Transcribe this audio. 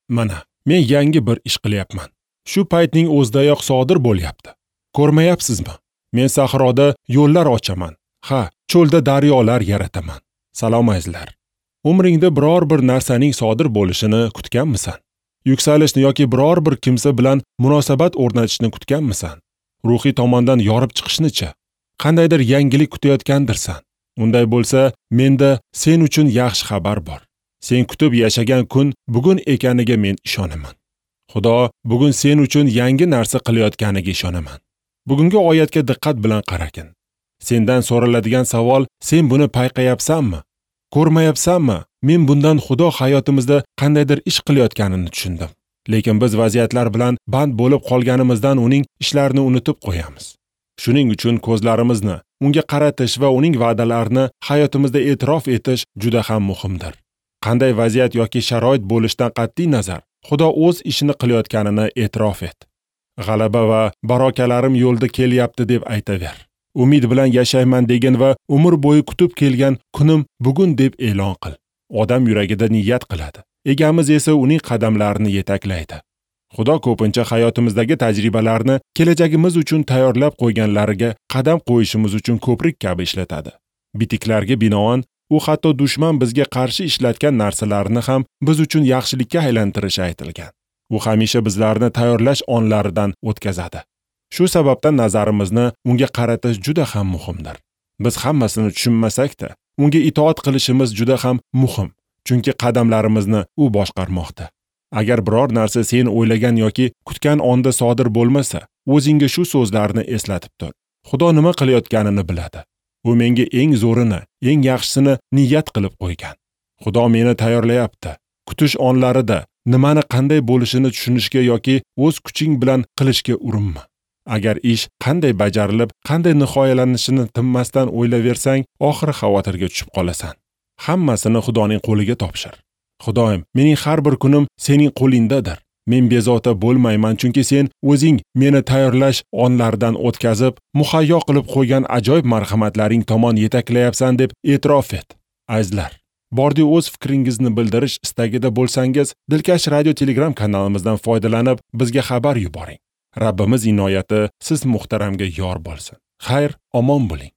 Mana, men yangi bir ish qilyapman. Shu paytning o'zidayoq sodir bo'lyapti. Ko'rmayapsizmi? Men sahroda yo'llar ochaman. Ha, cho'lda daryolar yarataman. Salom azizlar. Umringda biror bir narsaning sodir bo'lishini kutganmisan? Yuksalishni yoki biror bir kimsa bilan munosabat o'rnatishni kutganmisan? Ruhiy tomondan yorib chiqishni-chi? Qandaydir yangilik kutayotgandirsan? Unday bo'lsa, menda sen uchun yaxshi xabar bor. Sen kutib yashagan kun bugun ekaniga men ishonaman. Xudo bugun sen uchun yangi narsa qilayotganiga ishonaman. Bugungi oyatga diqqat bilan qaragin. Sendan so'raladigan savol: sen buni payqayapsanmi? Ko'rmayapsanmi? Men bundan Xudo hayotimizda qandaydir ish qilayotganini tushundim. Lekin biz vaziyatlar bilan band bo'lib qolganimizdan uning ishlarini unutib qo'yamiz. Shuning uchun ko'zlarimizni unga qaratish va uning va'dalarini hayotimizda e'tirof etish juda ham muhimdir. Qanday vaziyat yoki sharoit bo'lishidan qat'iy nazar, Xudo o'z ishini qilayotganini e'tirof et. G'alaba va barokalarim yo'lda kelyapti deb aytaver. Umid bilan yashayman degin va umr bo'yi kutib kelgan kunim bugun deb e'lon qil. Odam yuragida niyat qiladi. Egamiz esa uning qadamlarini yetaklaydi. Xudo ko'pincha hayotimizdagi tajribalarni kelajagimiz uchun tayyorlab qo'yganlariga qadam qo'yishimiz uchun ko'prik kabi ishlatadi. Bitiklarga binoan, u hatto dushman bizga qarshi ishlatgan narsalarni ham biz uchun yaxshilikka aylantirishi aytilgan. U hamisha bizlarni tayyorlash onlaridan o'tkazadi. Shu sababdan nazarimizni unga qaratish juda ham muhimdir. Biz hammasini tushunmasak-da, unga itoat qilishimiz juda ham muhim, chunki qadamlarimizni u boshqarmoqda. Agar biror narsa sen o'ylagan yoki kutgan onda sodir bo'lmasa, o'zingga shu so'zlarni eslatib tur. Xudo nima qilayotganini biladi. U menga eng zo'rini, eng yaxshisini niyat qilib qo'ygan. Xudo meni tayyorlayapti. Kutish onlarida nimani qanday bo'lishini tushunishga yoki o'z kuching bilan qilishga urinma. Agar ish qanday bajarilib, qanday nihoyalanishini tinmasdan o'ylaversang, oxiri xavotirga tushib qolasan. Hammasini Xudoning qo'liga topshir. Xudoyim, mening har bir kunim sening qo'lingdadir. Men bezovta bo'lmayman, chunki sen o'zing meni tayyorlash onlaridan o'tkazib, muhayyo qilib qo'ygan ajoyib marhamatlaring tomon yetaklayapsan deb e'tirof et. Azizlar, bordi o'z fikringizni bildirish istagida bo'lsangiz, Dilkash Radio Telegram kanalimizdan foydalanib, bizga xabar yuboring. Rabbimiz inoyati siz muhtaramga yor bo'lsin. Xayr, omon bo'ling.